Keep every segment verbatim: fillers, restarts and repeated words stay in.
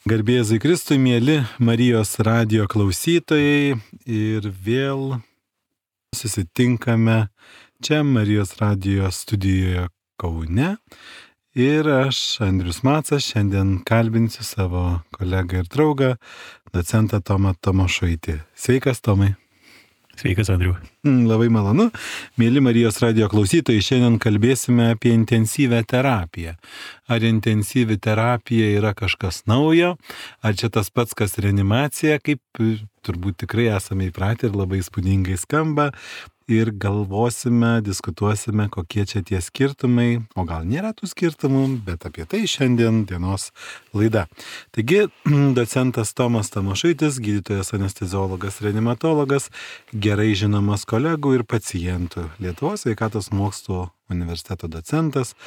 Garbė Jėzui Kristui, mieli Marijos radijo klausytojai, ir vėl susitinkame čia Marijos radijo studijoje Kaune. Ir aš, Andrius Macas, šiandien kalbinsiu savo kolegą ir draugą, docentą Tomą Tomašaitį. Sveikas, Tomai. Sveikas, Andriu. Labai malonu. Mėly Marijos radijo klausytojai, šiandien kalbėsime apie intensyvę terapiją. Ar intensyvi terapija yra kažkas naujo, ar čia tas pats, kas reanimacija, kaip turbūt tikrai esame įpratę ir labai įspūdingai skamba. Ir galvosime, diskutuosime, kokie čia tie skirtumai, o gal nėra tų skirtumų, bet apie tai šiandien dienos laida. Taigi, docentas Tomas Tomašaitis, gydytojas anesteziologas, reanimatologas, gerai žinomas kolegų ir pacientų, Lietuvos sveikatos mokslų universiteto docentas,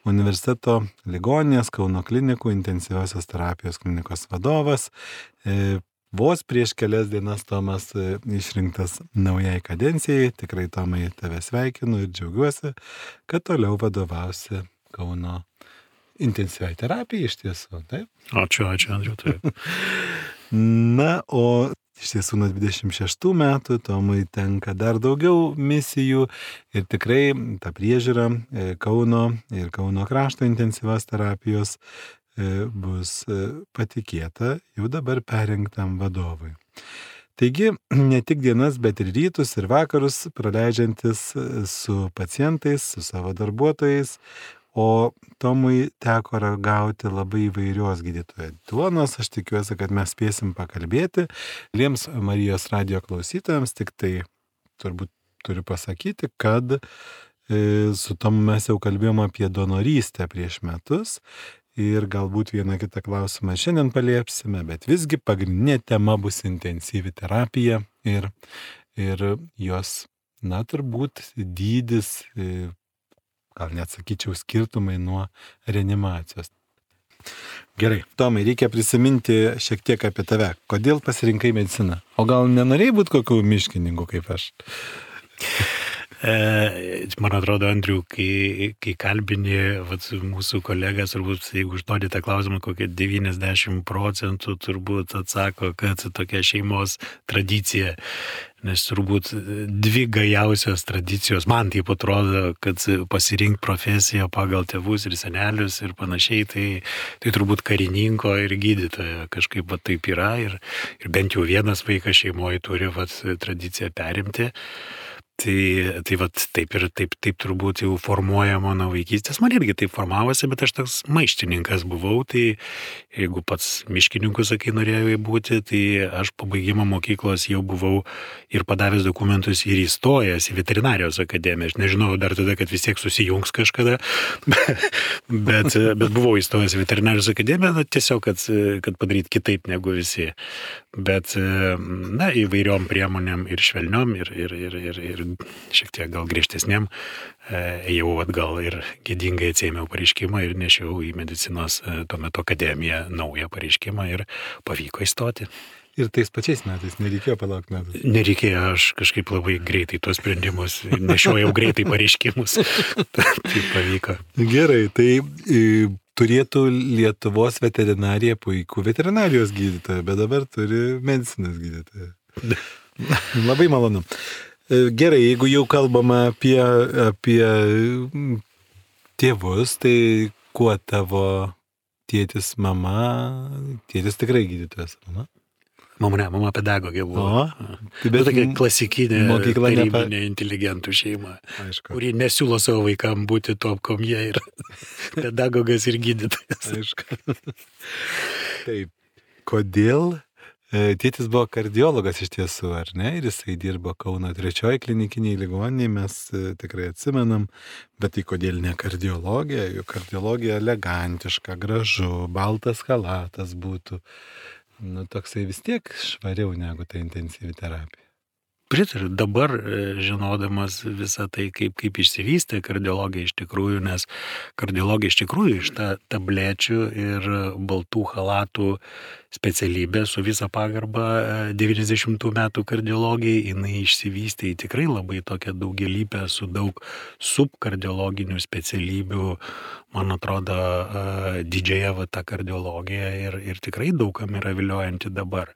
universiteto ligoninės Kauno klinikų intensyviosios terapijos klinikos vadovas. E, Vos prieš kelias dienas Tomas išrinktas naujai kadencijai. Tikrai, Tomai, tave sveikinu ir džiaugiuosi, kad toliau vadovausi Kauno intensyviai terapijai iš tiesų, taip? Ačiū, ačiū, Andriu, taip. Na, o iš tiesų nuo dvidešimt šeštų metų Tomui tenka dar daugiau misijų ir tikrai ta priežiūra Kauno ir Kauno krašto intensyvios terapijos bus patikėta jau dabar perrinktam vadovui. Taigi, ne tik dienas, bet ir rytus ir vakarus praleidžiantis su pacientais, su savo darbuotojais, o Tomui teko ragauti labai įvairios gydytojo duonos. Aš tikiuosi, kad mes spėsim pakalbėti. Liems Marijos radijo klausytojams tik tai turbūt turiu pasakyti, kad su Tomu mes jau kalbėjom apie donorystę prieš metus. Ir galbūt vieną kitą klausimą šiandien paliepsime, bet visgi pagrindinė tema bus intensyvi terapija ir, ir jos, na, turbūt dydis, gal net sakyčiau, skirtumai nuo reanimacijos. Gerai, Tomai, reikia prisiminti šiek tiek apie tave. Kodėl pasirinkai mediciną? O gal nenorėjai būti kokių miškininkų kaip aš? E, man atrodo, Andriu, kai, kai kalbini vat, mūsų kolegas, turbūt, jeigu užduodi tą klausimą, kokie devyniasdešimt procentų turbūt atsako, kad tokia šeimos tradicija, nes turbūt dvi gajausios tradicijos, man taip atrodo, kad pasirinkti profesiją pagal tėvus ir senelius ir panašiai, tai, tai turbūt karininko ir gydytojo kažkaip va, taip yra ir, ir bent jau vienas vaikas šeimoje turi vat, tradiciją perimti. Tai, tai vat, taip ir taip, taip turbūt jau formuoja mano vaikystės. Man irgi taip formavosi, bet aš toks maištininkas buvau, tai jeigu pats miškininku, sakai, norėjau būti, tai aš po baigimo mokyklos jau buvau ir padavęs dokumentus ir įstojęs į veterinarijos akademiją. Aš nežinau dar tada, kad vis tiek susijungs kažkada, bet, bet buvau įstojęs į veterinarijos akademiją, na, tiesiog, kad, kad padaryti kitaip negu visi. Bet, na, įvairiom priemonėm ir švelniom, ir, ir, ir, ir, ir šiek tiek gal griežtesnėm, ėjau atgal ir gėdingai atsėmiau pareiškimą ir nešiau į medicinos tuo metu akademiją naują pareiškimą ir pavyko įstoti. Ir tais pačiais metais nereikėjo palaukti metų? Nereikėjo, aš kažkaip labai greitai tuos sprendimus, nešiojau greitai pareiškimus. Tai pavyko. Gerai, tai turėtų Lietuvos veterinarija puikų veterinarijos gydytoją, bet dabar turi medicinos gydytoją. Labai malonu. Gerai, jeigu jau kalbama apie, apie tėvus, tai kuo tavo tėtis, mama, tėtis tikrai gydytojas, mama? Mama, ne, mama pedagogė buvo. O, tai bet tokia klasikinė, tarybinė nepa... inteligentų šeima, aišku, kuri nesiūlo savo vaikam būti top komie ir pedagogas ir gydytojas. Aišku. Taip, kodėl? Tėtis buvo kardiologas iš tiesų, ar ne? Ir jisai dirbo Kauno trečioji klinikiniai ligoninėje, mes tikrai atsimenam, bet tai kodėl ne kardiologija? Juk kardiologija elegantiška, gražu, baltas chalatas būtų. Nu, toksai vis tiek švariau negu ta intensyvi terapija. pritariu dabar, žinodamas visą tai, kaip, kaip išsivystė kardiologija iš tikrųjų, nes kardiologija iš tikrųjų iš ta tablečių ir baltų halatų specialybė su visa pagarba devyniasdešimtų metų kardiologijai, jinai išsivystė į tikrai labai tokią daugialypę su daug subkardiologinių specialybių, man atrodo, didžiąją va tą kardiologiją ir, ir tikrai daugam yra viliojanti dabar.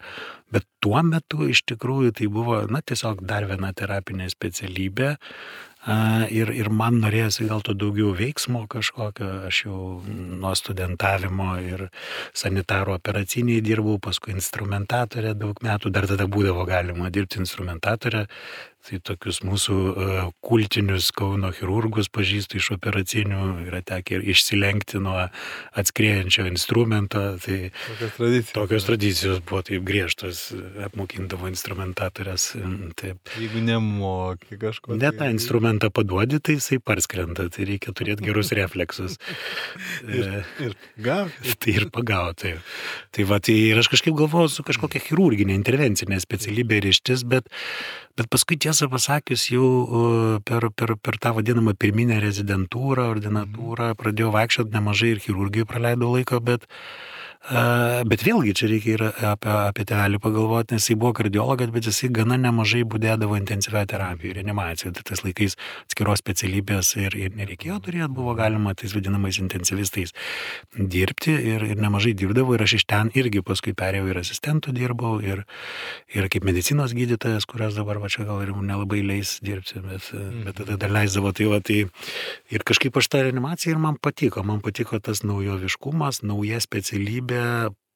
Bet tuo metu iš tikrųjų tai buvo, na, tiesiog dar viena terapinė specialybė ir, ir man norėjosi gal to daugiau veiksmo kažkokio. Aš jau nuo studentavimo ir sanitaro operaciniai dirbau, paskui instrumentatorė daug metų, dar tada būdavo galima dirbti instrumentatorė. Tai tokius mūsų uh, kultinius Kauno chirurgus pažįstu iš operacinių, yra tekę ir išsilenkti nuo atskriejančio instrumento. Tai tokios tradicijos. Tokios tradicijos buvo taip griežtos, apmokindavo instrumentatorės. Taip. Jeigu nemoki kažko. Ne tą instrumentą paduodi, tai jisai parskrenda, tai reikia turėti gerus refleksus. ir, ir gauti. Tai ir pagauti. Tai va, tai ir aš kažkaip galvojau su kažkokia chirurginė intervencinė specialybė ryštis, bet, bet paskui tiesą pasakius jau per, per, per tą vadinamą pirminę rezidentūrą, ordinatūrą pradėjau vaikščioti nemažai ir chirurgijai praleidau laiko, bet Bet vėlgi čia reikia ir apie, apie tėvelį pagalvoti, nes jis buvo kardiologas, bet jis gana nemažai būdėdavo intensyvioje terapijoje, reanimacijoje. Tai tais laikais atskiros specialybės ir, ir nereikėjo turėti, buvo galima tais vadinamais intensyvistais dirbti ir, ir nemažai dirbdavo. Ir aš iš ten irgi paskui perėjau ir asistentų dirbau ir, ir kaip medicinos gydytojas, kurios dabar va čia gal ir nelabai leis dirbti, bet, bet tada dar leisdavo. Tai, va, tai ir kažkaip aš tą reanimaciją ir man patiko. Man patiko tas naujoviškumas, nauja specialybė,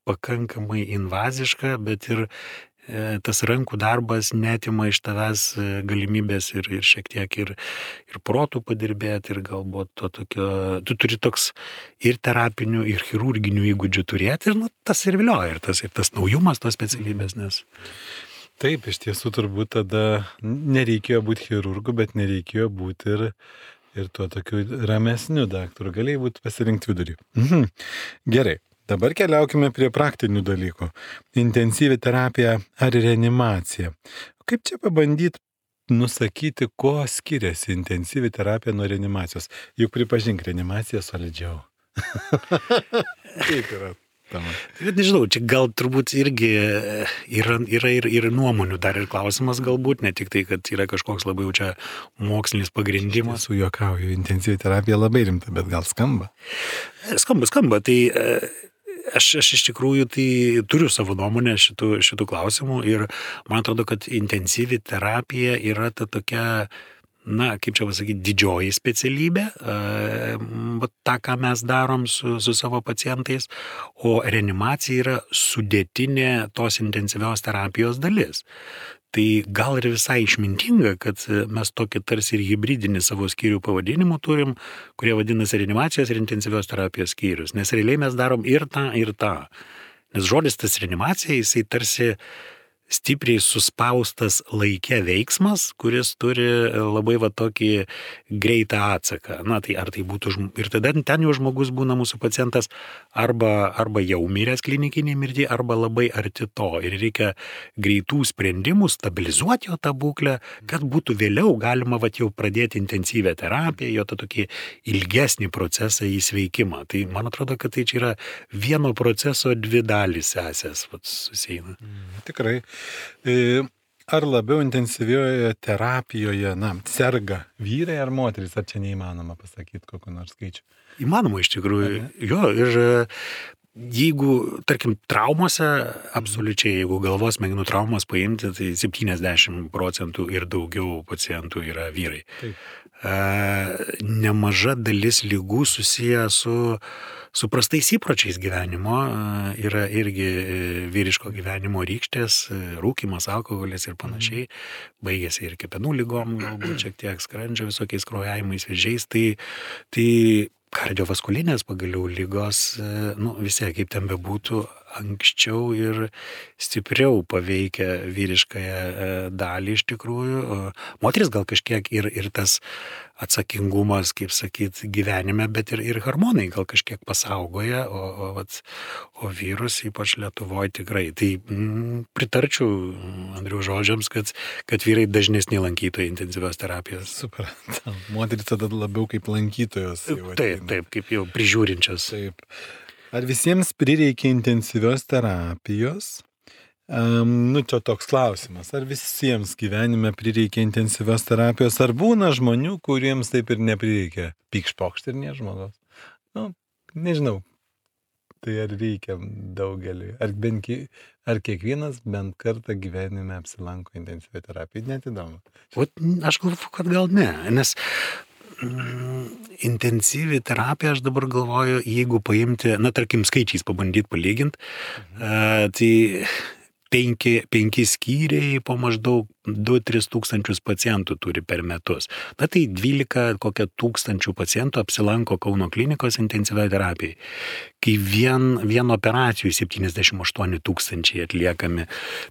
pakankamai invaziška, bet ir e, tas rankų darbas netima iš tavęs galimybės ir, ir šiek tiek ir, ir protų padirbėti ir galbūt to tokio, tu turi toks ir terapinių, ir chirurginių įgūdžių turėti ir nu, tas ir vilioja, ir tas, ir tas naujumas tos specialybės, nes... Taip, iš tiesų turbūt tada nereikėjo būti chirurgu, bet nereikėjo būti ir ir tuo tokiu ramesniu daktaru, galėjai būti pasirinkti vidurį. Mhm. Gerai. Dabar keliaukime prie praktinių dalykų. Intensyvi terapija ar reanimacija. Kaip čia pabandyti nusakyti, ko skiriasi intensyvi terapija nuo reanimacijos? Juk pripažink, reanimacija solidžiau. Kaip yra? Bet nežinau, čia gal turbūt irgi yra, yra ir, ir nuomonių dar ir klausimas galbūt, ne tik tai, kad yra kažkoks labai jau čia mokslinis pagrindimas. Su juokauju, intensyvi terapija labai rimta, bet gal skamba? Skamba, skamba, tai aš, aš iš tikrųjų tai turiu savo nuomonę šitų, šitų klausimų ir man atrodo, kad intensyvi terapija yra ta tokia, na, kaip čia pasakyti, didžioji specialybė, e, tą, ką mes darom su, su savo pacientais, o reanimacija yra sudėtinė tos intensyvios terapijos dalis. Tai gal ir visai išmintinga, kad mes tokį tarsi ir hibridinį savo skyrių pavadinimų turim, kurie vadinasi reanimacijos ir intensyvios terapijos skyrius, nes realiai mes darom ir tą, ir tą. Nes žodis tas reanimacija, jisai tarsi stipriai suspaustas laike veiksmas, kuris turi labai va tokį greitą atsaką. Na, tai ar tai būtų, ir tada ten jau žmogus būna mūsų pacientas arba, arba jau miręs klinikinė mirtį, arba labai arti to. Ir reikia greitų sprendimų, stabilizuoti jo tą būklę, kad būtų vėliau galima va jau pradėti intensyvę terapiją, jo tą tokį ilgesnį procesą į sveikimą. Tai man atrodo, kad tai čia yra vieno proceso dvi dalys sesės susieina. Mm, tikrai. Ar labiau intensyvioje terapijoje, na, serga vyrai ar moteris, ar čia neįmanoma pasakyti kokiu nors skaičiu? Įmanoma iš tikrųjų. Jo, ir jeigu, tarkim, traumose, absoliučiai, jeigu galvos smegenų traumas paimti, tai septyniasdešimt procentų ir daugiau pacientų yra vyrai. Taip. Nemaža dalis ligų susiję su, su prastais įpročiais gyvenimo, yra irgi vyriško gyvenimo rykštės, rūkymas, alkoholis ir panašiai, baigėsi ir kepenų ligom, galbūt šiek tiek skrandžio visokiais kraujavimais, vėžiais, tai, tai kardiovaskulinės pagaliau lygos, nu visi, kaip ten bebūtų, anksčiau ir stipriau paveikia vyriškąją dalį iš tikrųjų. Moteris gal kažkiek ir, ir tas atsakingumas, kaip sakyt, gyvenime, bet ir, ir hormonai gal kažkiek pasaugoja, o, o, vat, o vyrus, ypač Lietuvoje, tikrai. Tai mm, pritarčiau Andriaus žodžiams, kad, kad vyrai dažnesni lankytojai intensyvios terapijos. Suprantam. Moteris tada labiau kaip lankytojos. Taip, taip, kaip jau prižiūrinčios. Taip. Ar visiems prireikia intensyvios terapijos? Um, nu, čia toks klausimas. Ar visiems gyvenime prireikia intensyvios terapijos? Ar būna žmonių, kuriems taip ir neprireikia? Pykšpokšt ir ne žmogaus? Nu, nežinau. Tai ar reikia daugeliui? Ar, bent, ar kiekvienas bent kartą gyvenime apsilanko intensyviai terapijai? Net įdomu. O, aš galvoju, kad gal ne, nes intensyvi terapija, aš dabar galvoju, jeigu paimti, na, tarkim, skaičiais pabandyti palyginti, mhm. uh, tai penki, penki skyriai po maždaug du tris tūkstančius pacientų turi per metus. Na tai dvylika kokia tūkstančių pacientų apsilanko Kauno klinikos intensyvioje terapijoje. Kai vien, vien operacijų septyniasdešimt aštuoni tūkstančiai atliekami.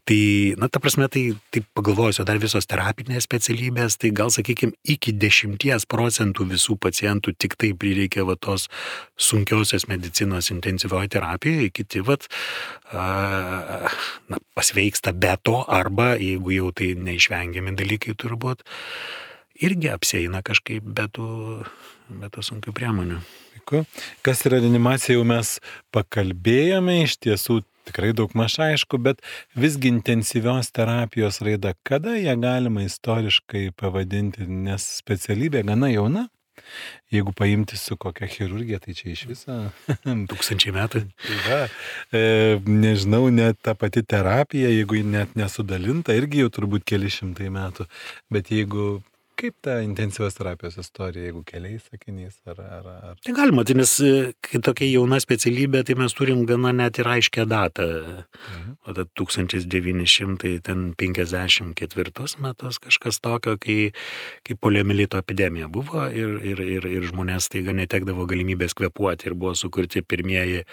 Tai, na ta prasme, tai, tai pagalvojus, dar visos terapinės specialybės, tai gal, sakykime, iki dešimties procentų visų pacientų tik tai prireikia va tos sunkiosios medicinos intensyvioje terapijoje, kiti vat, a, na, pasveiksta be to, arba jeigu jau tai neišvengiami dalykai turbūt, irgi apsieina kažkaip be tų, be tų sunkių priemonių. Kas yra reanimacija, jau mes pakalbėjome, iš tiesų tikrai daug maž aišku, bet visgi intensyvios terapijos raida, kada ją galima istoriškai pavadinti, nes specialybė gana jauna? Jeigu paimti su kokia chirurgija, tai čia iš viso tūkstančiai metų. Tai va, e, nežinau, net ta pati terapija, jeigu net nesudalinta, irgi jau turbūt keli šimtai metų. Bet jeigu, kaip ta intensyvios terapijos istorija, jeigu keliais sakiniais ar... ar, ar... Tai galima, tai nes kai tokia jauna specialybė, tai mes turim gana net ir aiškę datą. Mhm. O tad tūkstantis devyni šimtai penkiasdešimt ketvirtus metus kažkas tokio, kai, kai poliomielito epidemija buvo ir, ir, ir, ir žmonės taiga netekdavo galimybės kvėpuoti ir buvo sukurti pirmieji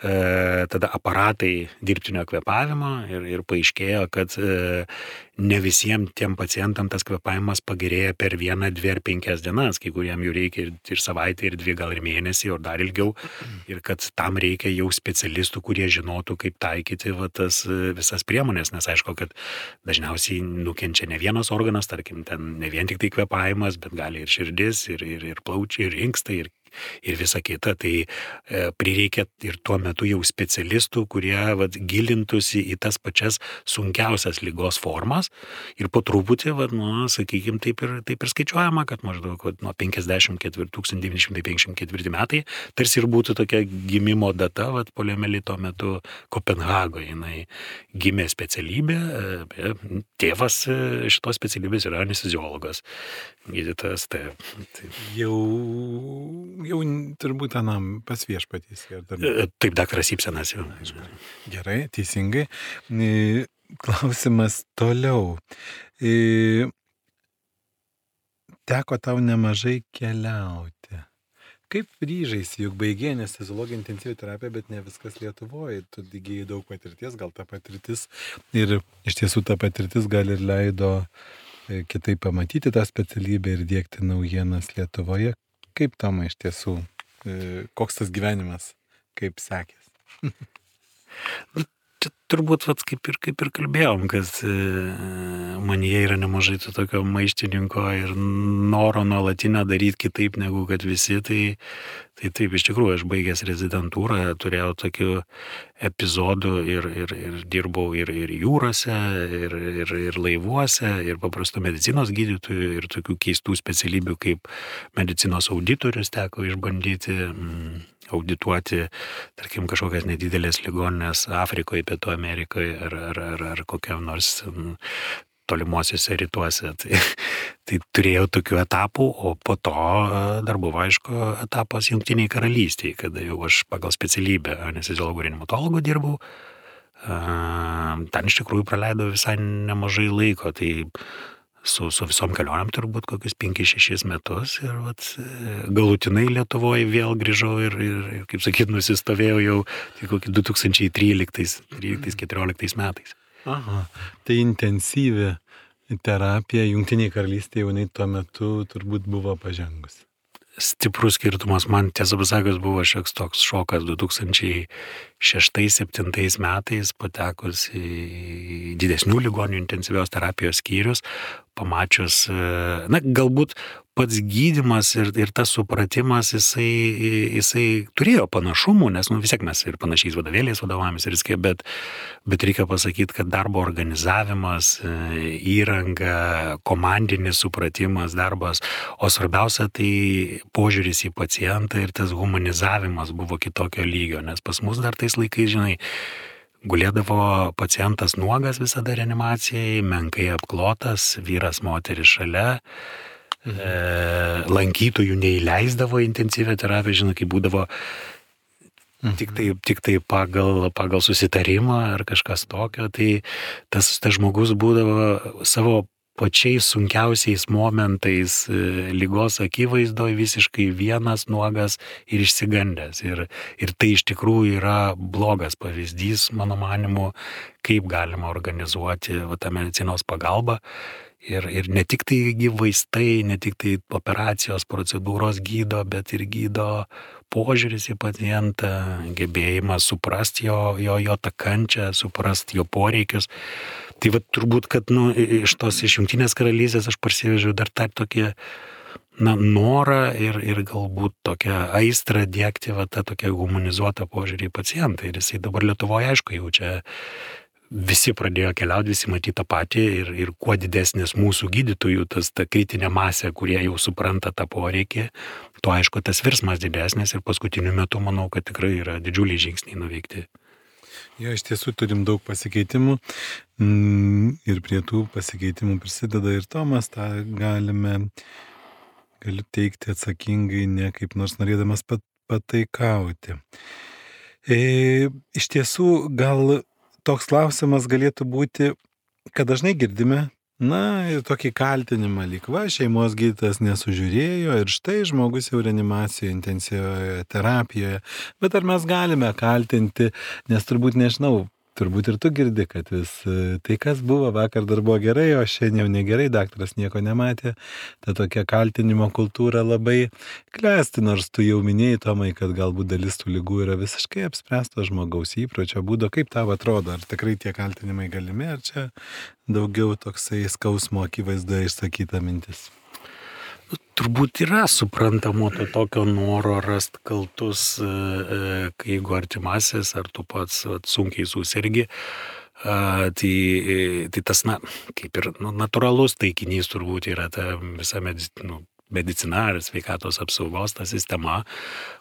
e, tada aparatai dirbtinio kvėpavimo ir, ir paaiškėjo, kad e, ne visiems tiem pacientam tas kvėpavimas pagerėja per vieną, dvi ar penkias dienas, kai kuriem jų reikia ir, ir savaitę, ir dvi, gal ir mėnesį, ir dar ilgiau, ir kad tam reikia jau specialistų, kurie žinotų, kaip taikyti va, tas visas priemonės, nes aišku, kad dažniausiai nukenčia ne vienas organas, tarkim, ten ne vien tik tai kvėpavimas, bet gali ir širdis, ir, ir, ir plaučiai, ir inkstai, ir ir visa kita, tai e, prireikia ir tuo metu jau specialistų, kurie vat, gilintųsi į tas pačias sunkiausias ligos formas ir po truputį, vat, nu, sakykime, taip ir, taip ir skaičiuojama, kad maždaug vat, nuo penkiasdešimt ketvirtų, tūkstantis devyni šimtai penkiasdešimt ketvirti metai tarsi ir būtų tokia gimimo data, vat, poliomielito metu Kopenhagoje, jinai gimė specialybė, e, tėvas šitos specialybės yra anesteziologas, gydytojas, tai, tai. Jau Jau turbūt anam pas viešpatys. Taip, daktaras Ibsenas jau. Gerai, teisingai. Klausimas toliau. Teko tau nemažai keliauti. Kaip ryžaisi, juk baigė anesteziologija intensyvi terapija, bet ne viskas Lietuvoje. Tu įgijai daug patirties, gal ta patirtis ir iš tiesų ta patirtis gal ir leido kitaip pamatyti tą specialybę ir diegti naujienas Lietuvoje. Kaip Toma iš tiesų, koks tas gyvenimas, kaip sekės? Čia turbūt vat, kaip, ir, kaip ir kalbėjom, kad manyje yra nemažai to tokio maištininko ir noro nuolatinę daryti kitaip negu kad visi, tai, tai taip iš tikrųjų aš baigęs rezidentūrą, turėjau tokių epizodų ir, ir, ir dirbau ir, ir jūrose, ir, ir, ir laivuose, ir paprastų medicinos gydytojų, ir tokių keistų specialybių kaip medicinos auditorius teko išbandyti, mm, audituoti, tarkim, kažkokias nedidelės ligoninės Afrikoje, Pietų Amerikoje ar, ar, ar, ar kokiam nors m, tolimuosiuose rytuose. Tai, tai turėjau tokių etapų, o po to dar buvo, aišku, etapas Jungtiniai karalystėje, kada jau aš pagal specialybę anesteziologų reanimatologų dirbau. Ten iš tikrųjų praleidau visai nemažai laiko, tai su, su visom kelionėm turbūt kokius penkis šešis metus ir vat, galutinai Lietuvoje vėl grįžau ir, ir, ir kaip sakyt, nusistovėjau jau tai kokį du tūkstančiai tryliktais keturioliktais metais. Aha, tai intensyvi terapija Jungtinėje karalystėje jau tuo metu turbūt buvo pažengusi. Stiprus skirtumas man, tiesą pasakius, buvo šioks toks šokas du tūkstančiai šeštais septintais metais patekus į didesnių ligonių intensyvios terapijos skyrius, pamačius, na, galbūt pats gydymas ir, ir tas supratimas, jisai, jisai turėjo panašumų, nes nu, vis tiek mes ir panašiais vadovėliais vadovavomės ir viskai, bet, bet reikia pasakyti, kad darbo organizavimas, įranga, komandinis supratimas, darbas, o svarbiausia tai požiūris į pacientą ir tas humanizavimas buvo kitokio lygio, nes pas mus dar tais laikais, žinai, gulėdavo pacientas nuogas visada reanimacijai, menkai apklotas, vyras, moteris šalia, mhm. e, lankytojų neįleisdavo intensyvią terapiją, žinai, kai būdavo mhm. tik tai, tik tai pagal, pagal susitarimą ar kažkas tokio, tai tas, tas žmogus būdavo savo pačiais sunkiausiais momentais lygos akivaizdoje visiškai vienas, nuogas ir išsigandęs. Ir, ir tai iš tikrųjų yra blogas pavyzdys, mano manimu, kaip galima organizuoti va, tą medicinos pagalbą. Ir, ir ne tik tai vaistai, ne tik tai operacijos procedūros gydo, bet ir gydo požiūris į pacientą, gebėjimas suprasti jo, jo, jo tą kančią, suprasti jo poreikius. Tai va turbūt, kad nu, iš tos iš Jungtinės karalystės aš parsivežiau dar tą tokį na, norą ir, ir galbūt tokią aistrą diegti va, tą tokią humanizuotą požiūrį į pacientą. Ir jisai dabar Lietuvoje, aišku, jau čia visi pradėjo keliauti, visi matyti tą patį ir, ir kuo didesnis mūsų gydytojų, tas ta kritinė masė, kurie jau supranta tą poreikį, tuo aišku tas virsmas didesnis ir paskutiniu metu manau, kad tikrai yra didžiuliai žingsniai nuveikti. Jo, iš tiesų turim daug pasikeitimų ir prie tų pasikeitimų prisideda ir Tomas, tą galime, galiu teikti atsakingai, ne kaip nors norėdamas pat, pataikauti. E, iš tiesų gal toks klausimas galėtų būti, kad dažnai girdime, na, ir tokį kaltinimą lyg va, šeimos gydytojas nesužiūrėjo ir štai žmogus jau reanimacijoje, intensyvioje terapijoje. Bet ar mes galime kaltinti, nes turbūt nežinau, turbūt ir tu girdi, kad vis tai, kas buvo vakar dar buvo gerai, o šiandien jau negerai, daktaras nieko nematė. Ta tokia kaltinimo kultūra labai klesti, nors tu jau minėjai, Tomai, kad galbūt dalis tų ligų yra visiškai apspręsto žmogaus įpročio būdo. Kaip tau atrodo, ar tikrai tie kaltinimai galimi, ar čia daugiau toksai skausmo akivaizdoje išsakyta mintis? Turbūt yra suprantamo to tokio noro rasti kaltus, kai jeigu artimasis ar tu pats sunkiai susirgi, tai, tai tas, na, kaip ir nu, natūralus taikinys turbūt yra ta visa medicina, nu, medicina ar sveikatos apsaugos ta sistema,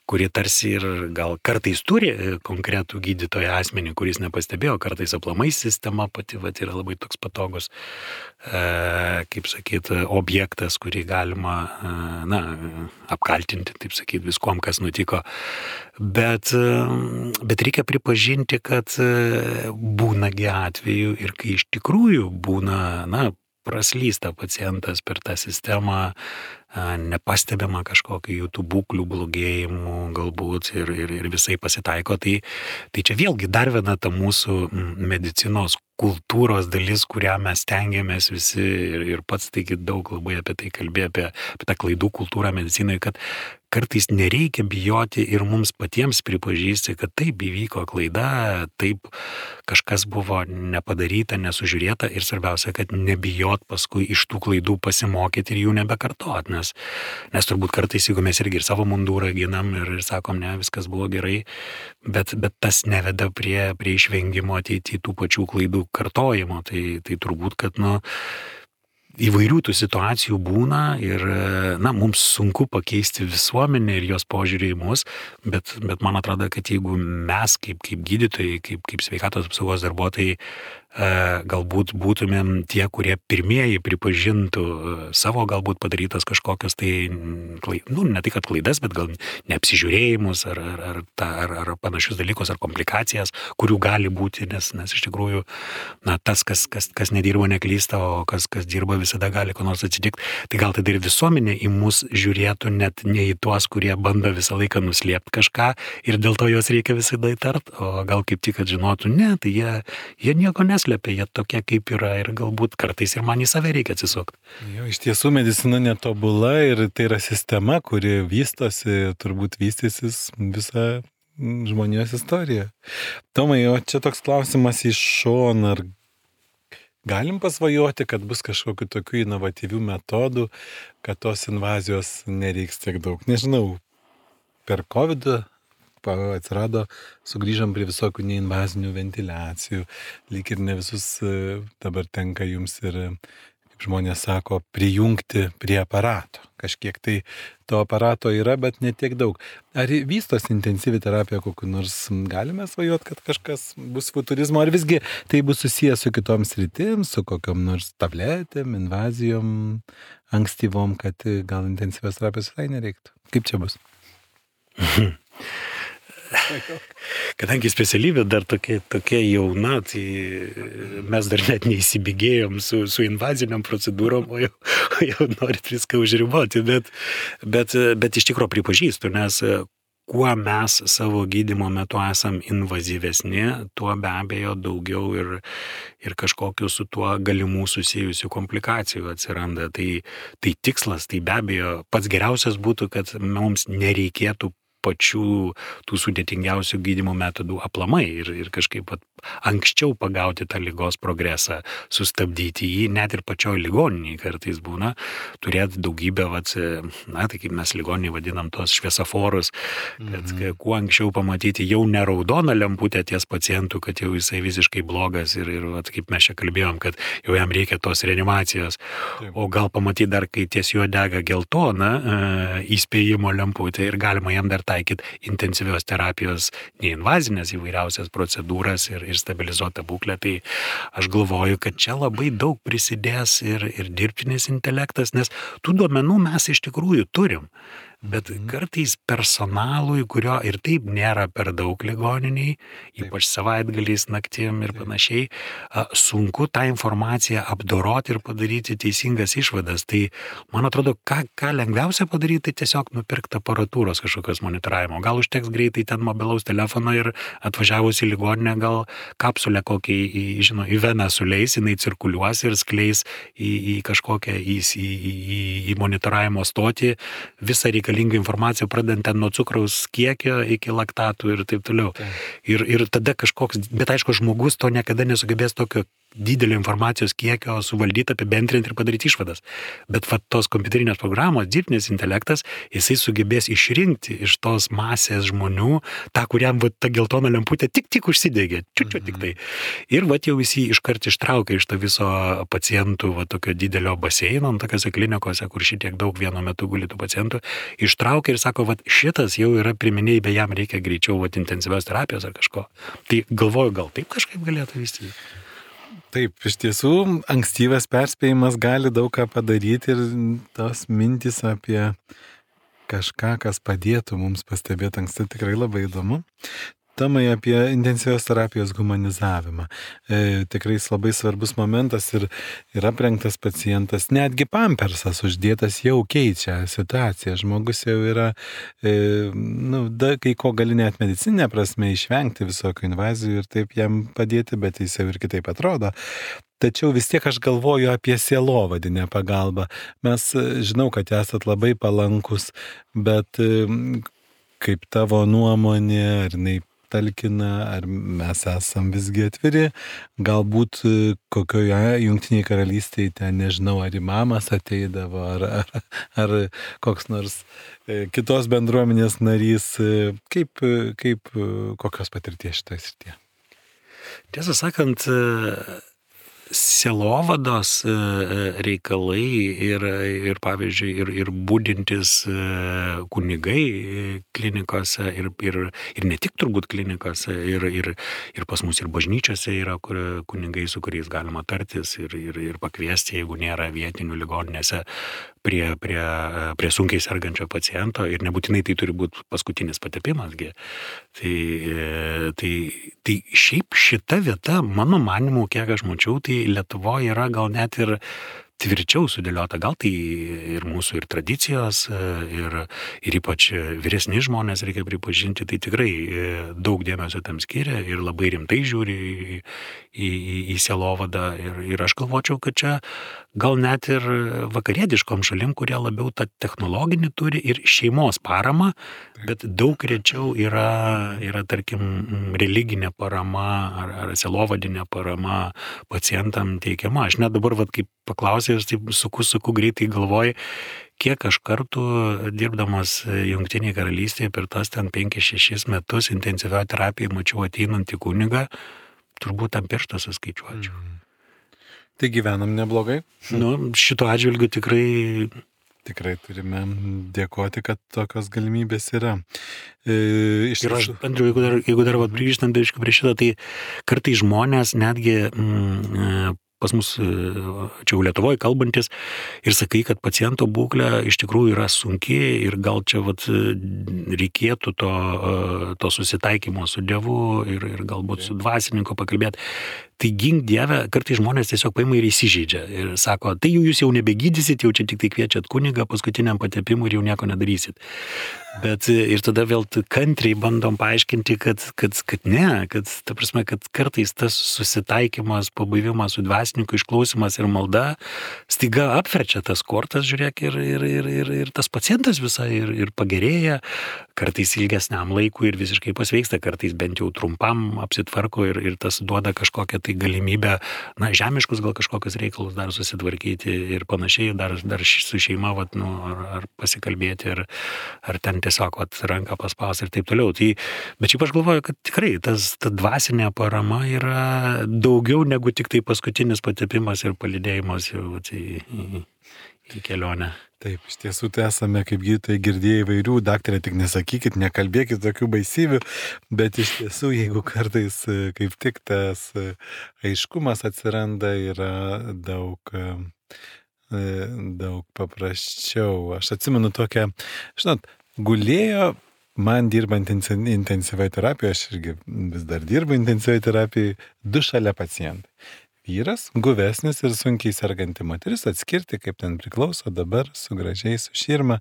kuri tarsi ir gal kartais turi konkretų gydytoją asmenį, kuris nepastebėjo, kartais aplamai sistema pati vat, yra labai toks patogus, e, kaip sakyt, objektas, kurį galima e, na, apkaltinti, taip sakyt, viskom, kas nutiko. Bet, bet reikia pripažinti, kad būnagi atveju ir kai iš tikrųjų būna, na, praslysta pacientas per tą sistemą, nepastebima kažkokių jų tų būklių blogėjimų galbūt ir, ir, ir visai pasitaiko. Tai, tai čia vėlgi dar viena ta mūsų medicinos kultūros dalis, kurią mes stengiamės visi ir, ir pats taigi daug labai apie tai kalbėjo, apie, apie tą klaidų kultūrą medicinoje, kad kartais nereikia bijoti ir mums patiems pripažįsti, kad taip įvyko klaida, taip kažkas buvo nepadaryta, nesužiūrėta ir svarbiausia, kad nebijot paskui iš tų klaidų pasimokyti ir jų nebekartot, nes, nes turbūt kartais, jeigu mes irgi ir savo mundūrą ginam ir, ir sakom, ne, viskas buvo gerai, bet, bet tas neveda prie, prie išvengimo ateityje tų pačių klaidų kartojimo, tai, tai turbūt, kad, nu, įvairių tų situacijų būna ir, na, mums sunku pakeisti visuomenę ir jos požiūrį į mus, bet, bet man atrodo, kad jeigu mes kaip, kaip gydytojai, kaip, kaip sveikatos apsaugos darbuotojai galbūt būtumėm tie, kurie pirmieji pripažintų savo galbūt padarytas kažkokios tai, nu, ne tai kad klaidas, bet gal neapsižiūrėjimus ar, ar, ar, ar, ar panašius dalykus, ar komplikacijas, kurių gali būti, nes, nes iš tikrųjų, na, tas, kas, kas, kas nedirba, neklysta, o kas, kas dirba, visada gali ko nors atsitikti. Tai gal tada ir visuomenė į mus žiūrėtų net ne į tuos, kurie bando visą laiką nuslėpti kažką ir dėl to juos reikia visada įtart, o gal kaip tik, kad žinotų, ne, tai jie, jie nieko neslepia, jie tokie kaip yra ir galbūt kartais ir man į save reikia atsisukti. Jo, iš tiesų medicina netobula ir tai yra sistema, kuri vystosi, turbūt vystysis visą žmonijos istoriją. Tomai, o čia toks klausimas iš šono, ar galim pasvajoti, kad bus kažkokių tokių inovatyvių metodų, kad tos invazijos nereiks tiek daug? Nežinau, per COVID atsirado, sugrįžom prie visokių neinvazinių ventiliacijų, lyg ir ne visus dabar tenka jums ir, kaip žmonės sako, prijungti prie aparato. Kažkiek tai to aparato yra, bet ne tiek daug. Ar vystos intensyvi terapija kokiu nors galime svajoti, kad kažkas bus futurizmo, ar visgi tai bus susijęs su kitom sritim, su kokiom nors tabletėm, invazijom, ankstyvom, kad gal intensyvios terapijos visai nereiktų? Kaip čia bus? Kadangi specialybė dar tokia, tokia jauna, tai mes dar net neįsibėgėjom su, su invaziniam procedūrom, o jau, jau norit viską užriboti, bet, bet, bet iš tikrųjų pripažįstu, nes kuo mes savo gydymo metu esam invazyvesni, tuo be abejo daugiau ir, ir kažkokių su tuo galimų susijusių komplikacijų atsiranda. Tai, tai tikslas, tai be abejo pats geriausias būtų, kad mums nereikėtų pačių tų sudėtingiausių gydymo metodų aplamai ir, ir kažkaip pat anksčiau pagauti tą ligos progresą, sustabdyti jį, net ir pačioj ligoninėje kartais būna, turėti daugybę, vat, na, tai kaip mes ligoninėje vadinam tos šviesoforus, kad mm-hmm. kuo anksčiau pamatyti jau ne raudoną lemputę ties pacientų, kad jau jisai visiškai blogas ir, ir vat, kaip mes čia kalbėjom, kad jau jam reikia tos reanimacijos, Taip. O gal pamatyti dar, kai ties juo dega geltona e, įspėjimo lemputė ir galima jam dar taikyti intensyvios terapijos, neinvazinės įvairiausias procedūras ir, ir stabilizuotą būklę. Tai aš galvoju, kad čia labai daug prisidės ir, ir dirbtinis intelektas, nes tų duomenų mes iš tikrųjų turim. Bet kartais personalui, kurio ir taip nėra per daug ligoniniai, ypač savaitgaliais, naktim ir panašiai, sunku tą informaciją apdoroti ir padaryti teisingas išvadas. Tai man atrodo, ką, ką lengviausia padaryti, tai tiesiog nupirkti aparatūros kažkokios monitoravimo. Gal užteks greitai ten mobilaus telefono ir atvažiavus į ligoninę, gal kapsulę kokį į, žinau, į veną suleis, jinai cirkuliuos ir skleis į, į kažkokią į, į, į, į monitoravimo stotį visą reikalingą informaciją, pradedant ten nuo cukraus kiekio iki laktatų ir taip toliau. Ir, ir tada kažkoks, bet aišku, žmogus to niekada nesugebės tokio didelio informacijos kiekio suvaldyti, apibendrinti ir padaryti išvadas. Bet va, tos kompiuterinės programos, dirbtinis intelektas, jisai sugebės išrinkti iš tos masės žmonių tą, kuriam va, ta geltona lemputė tik tik užsidegė, čiučiu tik tai. Ir va, jau visi iškart ištraukia iš to viso pacientų va, tokio didelio baseino, tokiose klinikose, kur šitiek daug vienu metu guli tų pacientų, ištraukia ir sako, va, šitas jau yra priminėjai, jam reikia greičiau va, intensyvios terapijos ar kažko. Tai galvoju, gal taip kažkaip galėtų vystyti. Taip, iš tiesų, ankstyvas perspėjimas gali daug ką padaryti ir tos mintis apie kažką, kas padėtų mums pastebėti anksti, tikrai labai įdomu. Tomai, apie intensyvios terapijos humanizavimą. E, tikrai labai svarbus momentas ir, ir aprengtas pacientas, netgi pampersas uždėtas jau keičia situaciją. Žmogus jau yra, e, nu, da, kai ko gali net medicinė prasme išvengti visokių invazijų ir taip jam padėti, bet jis jau ir kitaip atrodo. Tačiau vis tiek aš galvoju apie sielovadinę pagalbą. Mes žinau, kad esat labai palankus, bet kaip tavo nuomonė, ar jinai talkina, ar mes esam visgi atviri, galbūt kokioje Jungtinėje karalystėje ten, nežinau, ar imamas ateidavo, ar, ar, ar koks nors kitos bendruomenės narys, kaip, kaip kokios patirties šitoje srityje? Tiesą sakant, sielovados reikalai ir, ir pavyzdžiui, ir, ir būdintis kunigai klinikose ir, ir, ir ne tik turbūt klinikose, ir, ir, ir pas mus ir bažnyčiose yra kur, kunigai, su kuriais galima tartis ir, ir, ir pakviesti, jeigu nėra vietinių ligoninėse, prie, prie, prie sunkiai sergančio paciento ir nebūtinai tai turi būti paskutinis patepimasgi. Tai, tai, tai šiaip šita vieta, mano manimu, kiek aš mačiau, tai Lietuvoje yra gal net ir tvirčiau sudėliota, gal tai ir mūsų ir tradicijos, ir, ir ypač vyresni žmonės, reikia pripažinti, tai tikrai daug dėmesio tam skiria ir labai rimtai žiūri į, į, į sielovadą ir, ir aš galvočiau, kad čia gal net ir vakarietiškom šalim, kurie labiau tą technologinį turi ir šeimos paramą, bet daug rečiau yra, yra tarkim, religinė parama ar, ar sielovadinė parama pacientam teikiama. Aš net dabar, vat, kaip paklausė, aš taip suku, suku greitai galvoju, kiek aš kartų dirbdamas Jungtinėje karalystėje per tas ten penkis šešis metus intensyvioje terapijoje mačiau ateinantį kunigą, turbūt tam pirštą suskaičiuočiau. Mm. Tai gyvenam neblogai? Nu, šito atžvilgiu tikrai... Tikrai turime dėkoti, kad tokios galimybės yra. E, iš ir aš, Andriu, jeigu dar, jeigu dar vat, grįžtant prie šito, tai kartai žmonės netgi mm, pas mus, čia jau Lietuvoje kalbantis, ir sakai, kad paciento būklė iš tikrųjų yra sunki ir gal čia vat, reikėtų to, to susitaikymo su Dievu ir, ir galbūt su dvasininku pakalbėti. Tai gink Dieve, kartai žmonės tiesiog paima ir įsižeidžia ir sako, tai jūs jau nebegydysit, jau čia tik tai kviečiat kunigą paskutiniam patepimui ir jau nieko nedarysit. Bet ir tada vėl kantriai bandom paaiškinti, kad, kad, kad ne, kad, ta prasme, kad kartais tas susitaikymas, pabuvimas su dvasininku, išklausimas ir malda staiga apverčia tas kortas, žiūrėk, ir, ir, ir, ir, ir tas pacientas visai ir, ir pagerėja, kartais ilgesniam laikui ir visiškai pasveiksta, kartais bent jau trumpam apsitvarko ir, ir tas duoda kažkokią tai galimybę, na, žemiškus gal kažkokius reikalus dar susitvarkyti ir panašiai, dar, dar su šeima, vat, nu, ar, ar pasikalbėti, ar, ar ten tiesiog vat, ranką paspaus ir taip toliau. Tai, bet šiaip aš galvoju, kad tikrai tas, ta dvasinė parama yra daugiau negu tik tai paskutinis patepimas ir palydėjimas jau vat, į, į, į kelionę. Taip, iš tiesų tai esame, kaip gydytojai, girdėjai įvairių, daktarė, tik nesakykit, nekalbėkit tokių baisybių, bet iš tiesų, jeigu kartais kaip tik tas aiškumas atsiranda, yra daug, daug paprasčiau. Aš atsimenu tokią, žinot, gulėjo man dirbant intensyvioje terapijoje, aš irgi vis dar dirbu intensyvioje terapijoje, du šalia pacientai. Vyras, guvesnis ir sunkiai serganti moteris, atskirti, kaip ten priklauso dabar, su gražiai, su širma,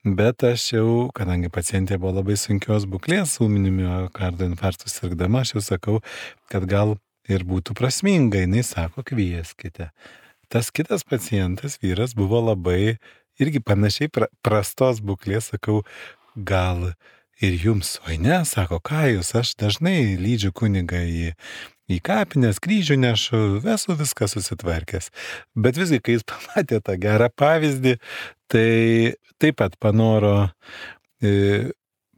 bet aš jau, kadangi pacientė buvo labai sunkios būklės, ūminiu miokardo infarktu sirgdama, aš jau sakau, kad gal ir būtų prasminga, jinai sako, kvieskite. Tas kitas pacientas, vyras, buvo labai irgi panašiai pra, prastos būklės, sakau, gal ir jums, oi ne, sako, ką jūs, aš dažnai lydžiu kunigą į į kapinės, kryžių nešu, esu viską susitvarkęs. Bet visgi, kai jis pamatė tą gerą pavyzdį, tai taip pat panoro e,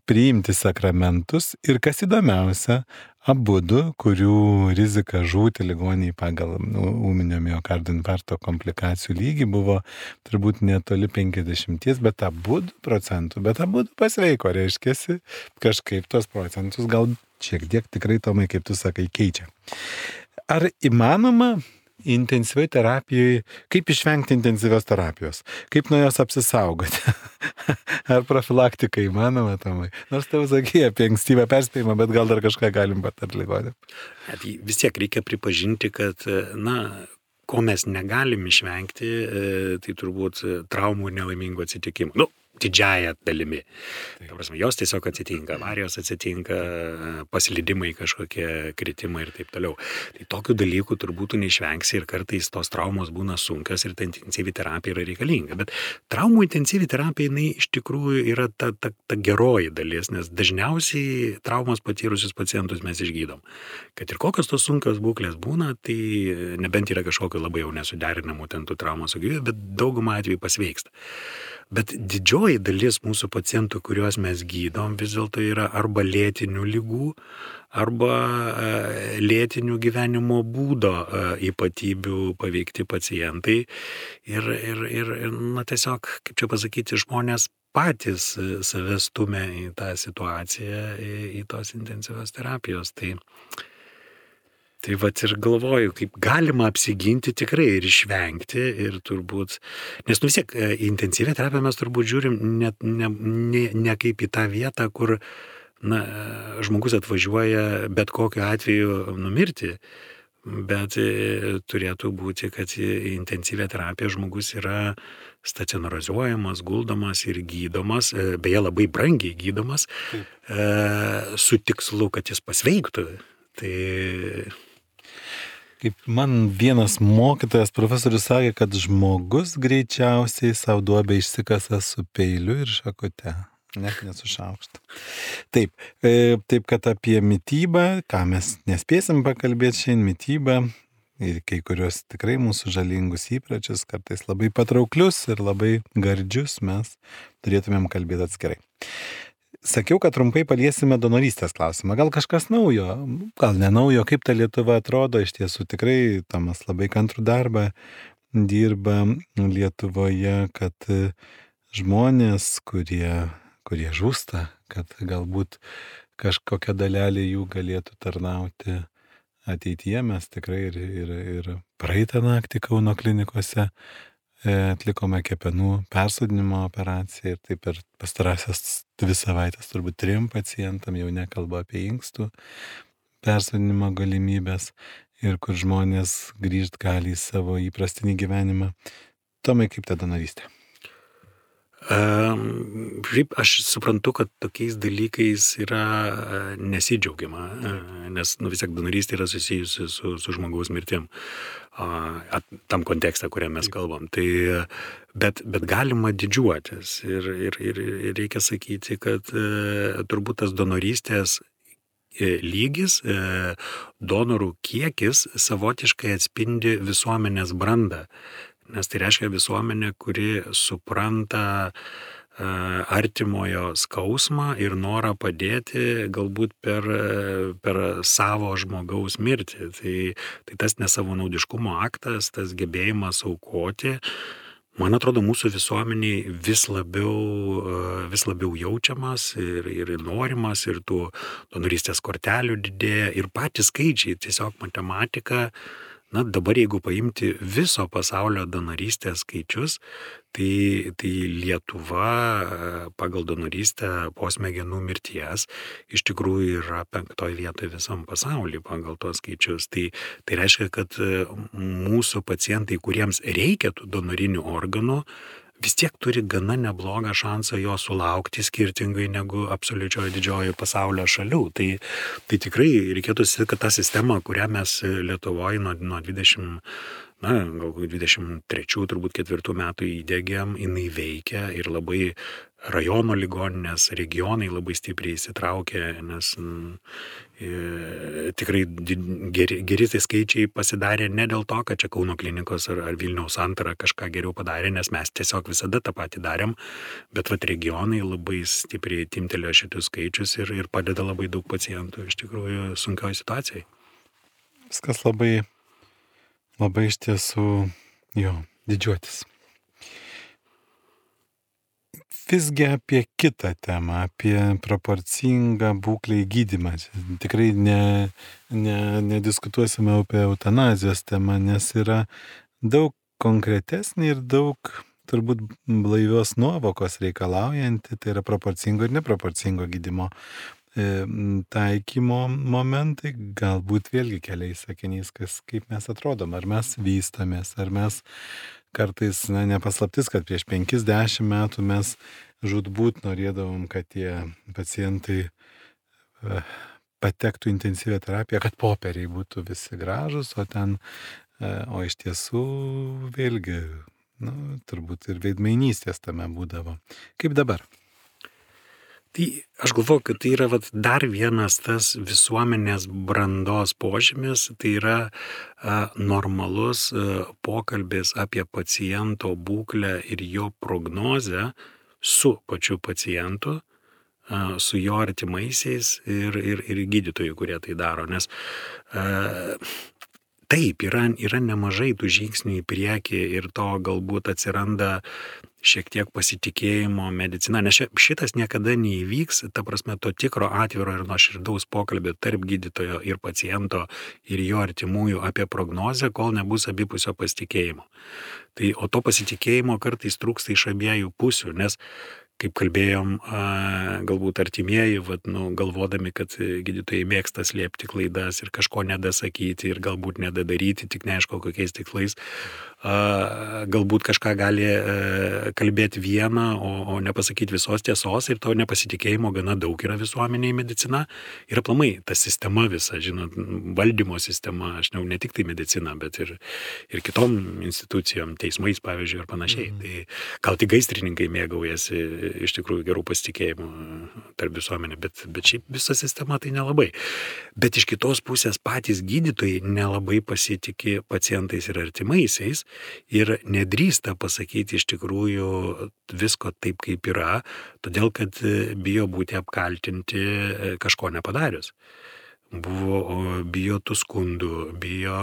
priimti sakramentus ir kas įdomiausia, abudu, kurių rizika žūti ligoniai pagal ūminio miokardo infarkto komplikacijų lygį buvo turbūt netoli penkiasdešimties, bet abudu procentų, bet abudu pasveiko, reiškiasi, kažkaip tos procentus gal šiek tiek tikrai, Tomai, kaip tu sakai, keičia. Ar įmanoma intensyviai terapijoje, kaip išvengti intensyvios terapijos? Kaip nuo jos apsisaugoti? Ar profilaktika įmanoma, Tomai? Nors tau sakė apie ankstyvą perspėjimą, bet gal dar kažką galim patarti ligonėm. Vis tiek reikia pripažinti, kad, na, ko mes negalim išvengti, tai turbūt traumų ir nelaimingų atsitikimų. Nu, didžiąją dalimi. Ta prasme, jos tiesiog atsitinka, avarijos atsitinka, paslydimai kažkokie, kritimai ir taip toliau. Tai tokių dalykų turbūt neišvengsi ir kartais tos traumos būna sunkios ir ta intensyvi terapija yra reikalinga. Bet traumų intensyvi terapija, jinai iš tikrųjų yra ta, ta, ta geroji dalis, nes dažniausiai traumas patyrusius pacientus mes išgydom. Kad ir kokios tos sunkios būklės būna, tai nebent yra kažkokio labai jau nesuderinamų ten tų traumų su gyvybė, bet daugumą atvejų pasveiksta. Bet didžioji dalis mūsų pacientų, kuriuos mes gydom, vis dėlto yra arba lėtinių ligų, arba lėtinių gyvenimo būdo ypatybių paveikti pacientai ir, ir, ir, ir na, tiesiog, kaip čia pasakyti, žmonės patys save stumia į tą situaciją, į, į tos intensyvios terapijos. Tai Tai vat ir galvoju, kaip galima apsiginti tikrai ir išvengti ir turbūt, nes nu vis tiek į intensyvią terapiją mes turbūt žiūrim ne, ne, ne, ne kaip į tą vietą, kur na, žmogus atvažiuoja bet kokiu atveju numirti, bet turėtų būti, kad į intensyvią terapiją žmogus yra stacionarizuojamas, guldomas ir gydomas, beje labai brangiai gydomas, Taip. su tikslu, kad jis pasveiktų. Tai Kaip man vienas mokytojas, profesorius sakė, kad žmogus greičiausiai savo duobę išsikasa su peiliu ir šakute, net nesušaukšta. Taip, taip kad apie mitybą, ką mes nespėsim pakalbėti šiandien, mitybą ir kai kurios tikrai mūsų žalingus įpročius, kartais labai patrauklius ir labai gardžius, mes turėtumėm kalbėti atskirai. Sakiau, kad trumpai paliesime donorystės klausimą. Gal kažkas naujo, gal ne naujo, kaip ta Lietuva atrodo. Iš tiesų tikrai Tomas labai kantrų darbą dirba Lietuvoje, kad žmonės, kurie, kurie žūsta, kad galbūt kažkokia dalelė jų galėtų tarnauti ateityje. Mes tikrai ir, ir, ir praeitą naktį Kauno klinikose atlikome kepenų persodinimo operaciją ir taip per pastarąsias dvi savaitės turbūt trim pacientam, jau nekalbu apie inkstų persodinimo galimybės ir kur žmonės grįžt gali į savo įprastinį gyvenimą. Tomai, kaip ta donorystė? Um, aš suprantu, kad tokiais dalykais yra nesidžiaugiama, nes nu, vis tiek donorystė yra susijusi su, su žmogaus mirtim, uh, tam kontekste, kuriam mes kalbam. Tai, bet, bet galima didžiuotis ir, ir, ir, ir reikia sakyti, kad uh, turbūt tas donorystės lygis, uh, donorų kiekis savotiškai atspindi visuomenės brandą. Nes tai reiškia visuomenė, kuri supranta uh, artimojo skausmą ir norą padėti galbūt per, per savo žmogaus mirtį. Tai, tai tas nesavanaudiškumo aktas, tas gebėjimas aukoti, man atrodo, mūsų visuomeniai vis labiau, uh, vis labiau jaučiamas ir, ir norimas, ir tų donorystės kortelių didėja, ir patys skaičiai, tiesiog matematika. Na, dabar jeigu paimti viso pasaulio donorystės skaičius, tai, tai Lietuva pagal donorystę po smegenų mirties iš tikrųjų yra penktoje vietoje visam pasaulyje pagal tos skaičius. Tai, tai reiškia, kad mūsų pacientai, kuriems reikia tų donorinių organų, vis tiek turi gana neblogą šansą jo sulaukti skirtingai negu absoliučioje didžiojo pasaulio šalių. Tai, tai tikrai reikėtų sakyti, kad ta sistema, kurią mes Lietuvoje nuo, nuo dvidešimt, na, gal dvidešimt trečių, turbūt ketvirtų metų įdėgėm, jinai veikia ir labai rajono ligoninės, regionai labai stipriai įsitraukė, nes e, tikrai geri, geri tai skaičiai pasidarė ne dėl to, kad čia Kauno klinikos ar, ar Vilniaus Santara kažką geriau padarė, nes mes tiesiog visada tą patį darėm, bet vat regionai labai stipriai timtelėjo šitus skaičius ir, ir padeda labai daug pacientų iš tikrųjų sunkioje situacijai. Viskas labai, labai iš tiesų, jo, didžiuotis. Visgi apie kitą temą, apie proporcingą būklę gydymą. Tikrai ne, ne, nediskutuosime apie eutanazijos temą, nes yra daug konkretesnė ir daug turbūt blaivios nuovokos reikalaujanti, tai yra proporcingo ir neproporcingo gydymo taikymo momentai, galbūt vėlgi keliais sakiniais, kas, kaip mes atrodom, ar mes vystamės, ar mes kartais, na, nepaslaptis, kad prieš penkiasdešimt metų mes žūtbūt norėdavom, kad tie pacientai patektų intensyvią terapiją, kad popieriai būtų visi gražus, o ten, o iš tiesų vėlgi, nu, turbūt ir veidmainystės tame būdavo. Kaip dabar? Tai aš galvoju, kad tai yra vat, dar vienas tas visuomenės brandos požymis, tai yra a, normalus a, pokalbis apie paciento būklę ir jo prognozę su pačiu pacientu, su jo artimaisiais ir, ir, ir gydytojų, kurie tai daro. Nes uh, taip, yra, yra nemažai tų žingsnių į priekį ir to galbūt atsiranda šiek tiek pasitikėjimo medicina, nes šitas niekada neįvyks, ta prasme, to tikro atviro ir nuoširdaus pokalbio tarp gydytojo ir paciento ir jo artimųjų apie prognozę, kol nebus abipusio pasitikėjimo. Tai, o to pasitikėjimo kartais trūksta iš abiejų pusių, nes kaip kalbėjom, galbūt artimieji, vat, nu, galvodami, kad gydytojai mėgsta slėpti klaidas ir kažko nedasakyti ir galbūt nedadaryti, tik neaišku kokiais tikslais, galbūt kažką gali kalbėti vieną, o, o nepasakyti visos tiesos ir to nepasitikėjimo gana daug yra visuomenėje medicina ir aplamai ta sistema visa, žinot, valdymo sistema, aš ne, ne tik tai medicina, bet ir, ir kitom institucijom, teismais pavyzdžiui ir panašiai. Mm. Tai gal tik gaisrininkai mėgaujasi iš tikrųjų gerų pasitikėjimų tarp visuomenė, bet, bet šiaip visa sistema tai nelabai. Bet iš kitos pusės patys gydytojai nelabai pasitikė pacientais ir artimaisiais ir nedrįsta pasakyti iš tikrųjų visko taip, kaip yra, todėl kad bijo būti apkaltinti kažko nepadarius. Buvo bijo tų skundų, bijo,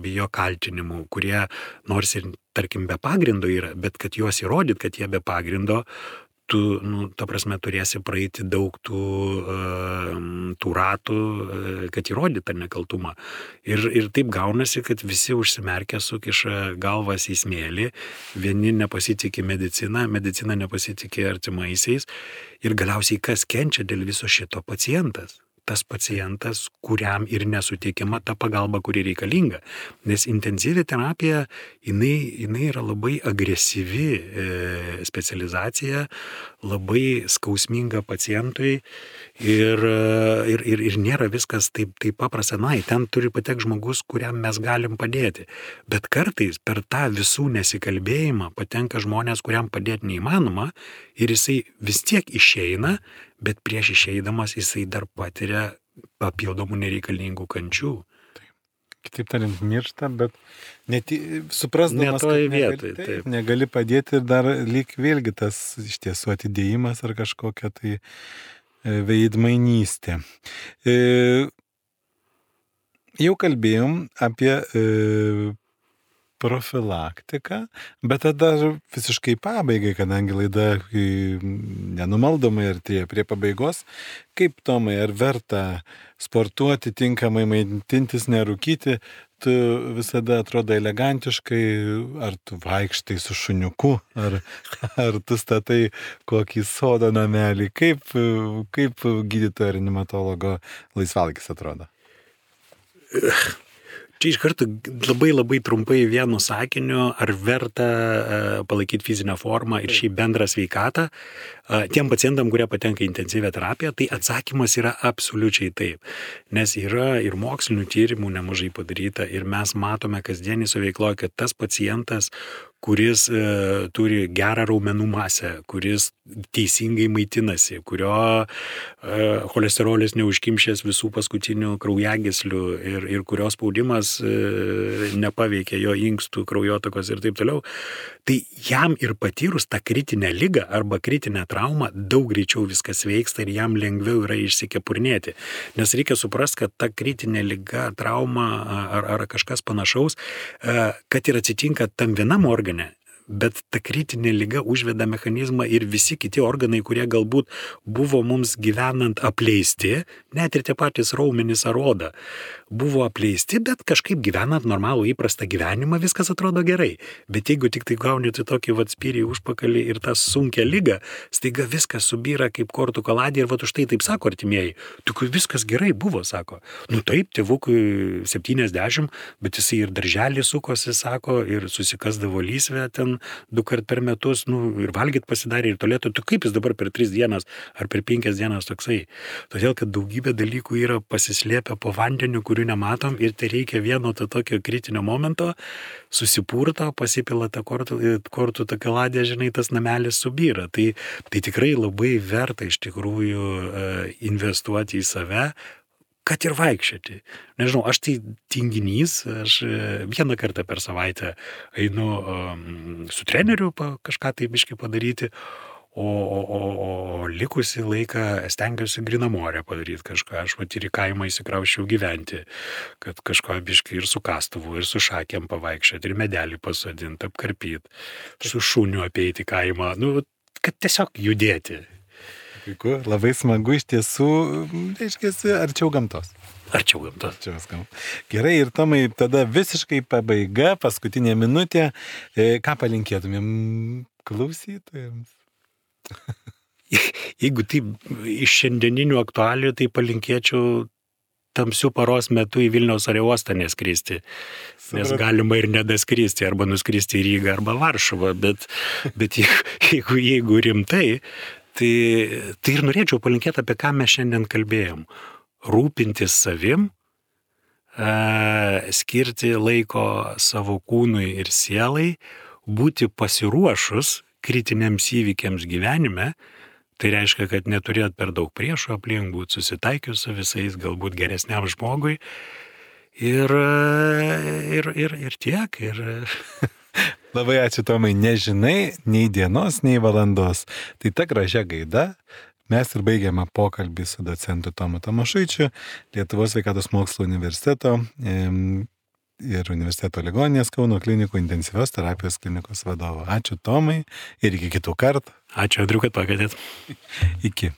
bijo kaltinimų, kurie nors ir, tarkim, be pagrindo yra, bet kad juos įrodyt, kad jie be pagrindo, tu, nu, ta prasme, turėsi praeiti daug tų, tų ratų, kad įrodyt tą nekaltumą. Ir, ir taip gaunasi, kad visi užsimerkę sukiša galvas į smėlį, vieni nepasitikė mediciną, medicina nepasitikė artimaisiais ir galiausiai kas kenčia dėl viso šito pacientas. Tas pacientas, kuriam ir nesuteikiama ta pagalba, kuri reikalinga. Nes intensyvi terapija, jinai, jinai yra labai agresyvi e, specializacija, labai skausminga pacientui ir, ir, ir, ir nėra viskas taip, taip paprasta. Na, ten turi patek žmogus, kuriam mes galim padėti. Bet kartais per tą visų nesikalbėjimą patenka žmonės, kuriam padėti neįmanoma ir jisai vis tiek išeina, bet prieš išeidamas jisai dar patiria papildomų nereikalingų kančių. Kitaip tariant, miršta, bet net suprasdamas, kad negali, vietoj, taip, taip. negali padėti ir dar lyg vėlgi tas iš tiesų atidėjimas ar kažkokia tai veidmainystė. E, jau kalbėjom apie e, profilaktiką, bet tada visiškai pabaigai, kadangi laida nenumaldomai artėja prie pabaigos, kaip Tomai, ar verta sportuoti, tinkamai maitintis, nerūkyti, tu visada atrodo elegantiškai, ar tu vaikštai su šuniuku, ar, ar tu statai kokį sodo namelį, kaip, kaip gydytojo ar animatologo laisvalgis atrodo? Čia iš karto labai labai trumpai vienu sakiniu, ar verta uh, palaikyti fizinę formą ir šį bendrą sveikatą. Uh, tiem pacientam, kurie patenka į intensyvią terapiją, tai atsakymas yra absoliučiai taip. Nes yra ir mokslinių tyrimų nemažai padaryta ir mes matome kasdienį suveikloje, kad tas pacientas, kuris e, turi gerą raumenų masę, kuris teisingai maitinasi, kurio e, cholesterolis neužkimšęs visų paskutinių kraujagyslių ir, ir kurio spaudimas e, nepaveikia jo inkstų, kraujotakos ir taip toliau, tai jam ir patyrus tą kritinę ligą arba kritinę traumą daug greičiau viskas veiksta ir jam lengviau yra išsikepurnėti. Nes reikia suprasti, kad ta kritinė liga, trauma ar, ar kažkas panašaus, e, kad ir atsitinka tam vienam organui, bet ta kritinė liga užveda mechanizmą ir visi kiti organai, kurie galbūt buvo mums gyvenant apleisti, net ir tie patys raumenys ar oda, buvo apleisti, bet kažkaip gyvenant normalų įprastą gyvenimą viskas atrodo gerai. Bet jeigu tik tai gauni tai tokį vat spyrį užpakalį ir tą sunkią ligą, staiga viskas subyra kaip kortų kaladė ir vat už tai taip sako artimieji. Tik viskas gerai buvo, sako. Nu taip, tėvukui septyniasdešimt, bet jisai ir darželį sukosi, sako, ir susikasdavo lysvę ten du kart per metus, nu, ir valgyt pasidarė, ir tolėtų, tu kaip jis dabar per tris dienas ar per penkias dienas toksai. Todėl, kad daugybė dalykų yra pasislėpę po vandeniu, kurių nematom, ir tai reikia vieno to tokio kritinio momento, susipurto, pasipila tą kortų, kortų tą kaladė, žinai, tas namelis subyra. Tai, tai tikrai labai verta iš tikrųjų investuoti į save, kad ir vaikščioti. Nežinau, aš tai tinginys, aš vieną kartą per savaitę einu um, su treneriu pa, kažką tai biškai padaryti, O, o, o, o likusį laiką stengiuosi grinamorę padaryti kažką. Aš vat ir į kaimą įsikrauščiau gyventi, kad kažko biškai ir su kastuvu, ir su šakėm pavaikščioti, ir medelį pasodinti, apkarpyti, su šuniu apeiti kaimą, nu, kad tiesiog judėti. Puiku, labai smagu iš tiesų, reiškiasi, arčiau gamtos. Arčiau gamtos. Arčiau gamtos. Gerai, ir Tomai, tada visiškai pabaiga, paskutinė minutė. E, ką palinkėtumėm klausytojams? Jeigu taip iš šiandieninių aktualijų, tai palinkėčiau tamsių paros metu į Vilniaus oro uostą neskristi. Nes galima ir nedaskristi, arba nuskristi į Rygą, arba Varšuvą, bet, bet jeigu, jeigu rimtai, tai, tai ir norėčiau palinkėti, apie ką mes šiandien kalbėjom. Rūpintis savim, skirti laiko savo kūnui ir sielai, būti pasiruošus kritiniams įvykiams gyvenime. Tai reiškia, kad neturėt per daug priešų aplink, būti susitaikius su visais, galbūt geresniam žmogui. Ir, ir, ir, ir tiek. Ir... Labai ačiū, Tomai. Nežinai nei dienos, nei valandos. Tai ta gražia gaida. Mes ir baigiame pokalbį su docentu Tomu Tamošaičiu, Lietuvos sveikatos mokslo universiteto ir universiteto ligoninės Kauno klinikų intensyvios terapijos klinikos vadovo. Ačiū, Tomai, ir iki kitų kartų. Ačiū, Andriu, kad pakvietėt. Iki.